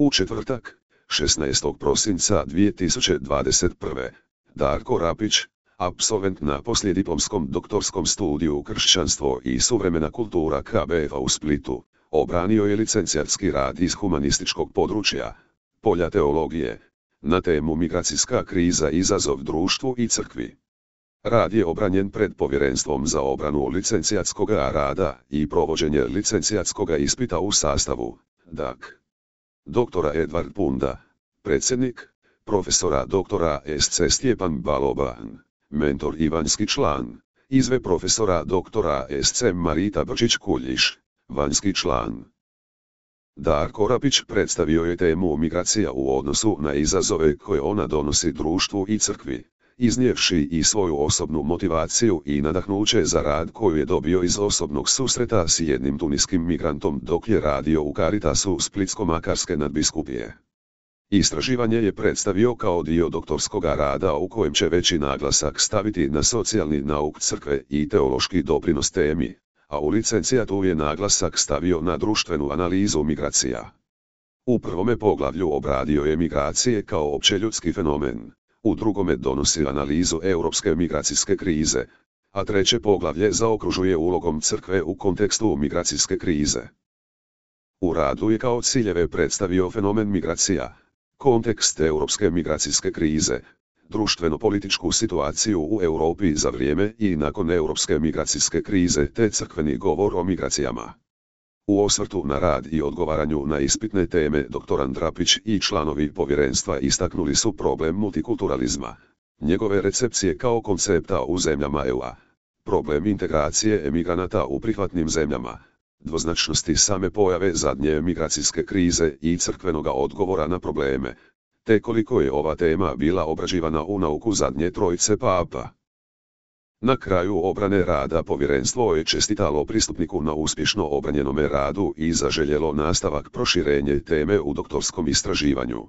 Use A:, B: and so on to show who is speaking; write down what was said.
A: U četvrtak, 16. prosinca 2021. Darko Rapić, apsolvent na poslijediplomskom doktorskom studiju Kršćanstvo i suvremena kultura KBF-a u Splitu, obranio je licencijatski rad iz humanističkog područja, polja teologije, na temu migracijska kriza i izazov društvu i crkvi. Rad je obranjen pred Povjerenstvom za obranu licencijatskog rada i provođenje licencijatskog ispita u sastavu, dak. Doktora Edvard Punda, predsjednik, profesora doktora SC Stjepan Baloban, mentor i vanjski član, izve profesora doktora SC Marita Brčić-Kuljiš, vanjski član. Darko Rapić predstavio je temu migracija u odnosu na izazove koje ona donosi društvu i crkvi, iznijevši i svoju osobnu motivaciju i nadahnuće za rad koju je dobio iz osobnog susreta s jednim tuniskim migrantom dok je radio u Caritasu Splitsko-makarske nadbiskupije. Istraživanje je predstavio kao dio doktorskog rada u kojem će veći naglasak staviti na socijalni nauk crkve i teološki doprinos temi, a u licencijatu je naglasak stavio na društvenu analizu migracija. U prvome poglavlju obradio je migracije kao općeljudski fenomen, u drugome donosi analizu europske migracijske krize, a treće poglavlje zaokružuje ulogom crkve u kontekstu migracijske krize. U radu je kao ciljeve predstavio fenomen migracija, kontekst europske migracijske krize, društveno-političku situaciju u Europi za vrijeme i nakon europske migracijske krize te crkveni govor o migracijama. U osvrtu na rad i odgovaranju na ispitne teme dr. Rapić i članovi povjerenstva istaknuli su problem multikulturalizma, njegove recepcije kao koncepta u zemljama EU-a, problem integracije emigranata u prihvatnim zemljama, dvoznačnosti same pojave zadnje migracijske krize i crkvenoga odgovora na probleme, te koliko je ova tema bila obrađivana u nauku zadnje trojice papa. Na kraju obrane rada povjerenstvo je čestitalo pristupniku na uspješno obranjenome radu i zaželjelo nastavak proširenje teme u doktorskom istraživanju.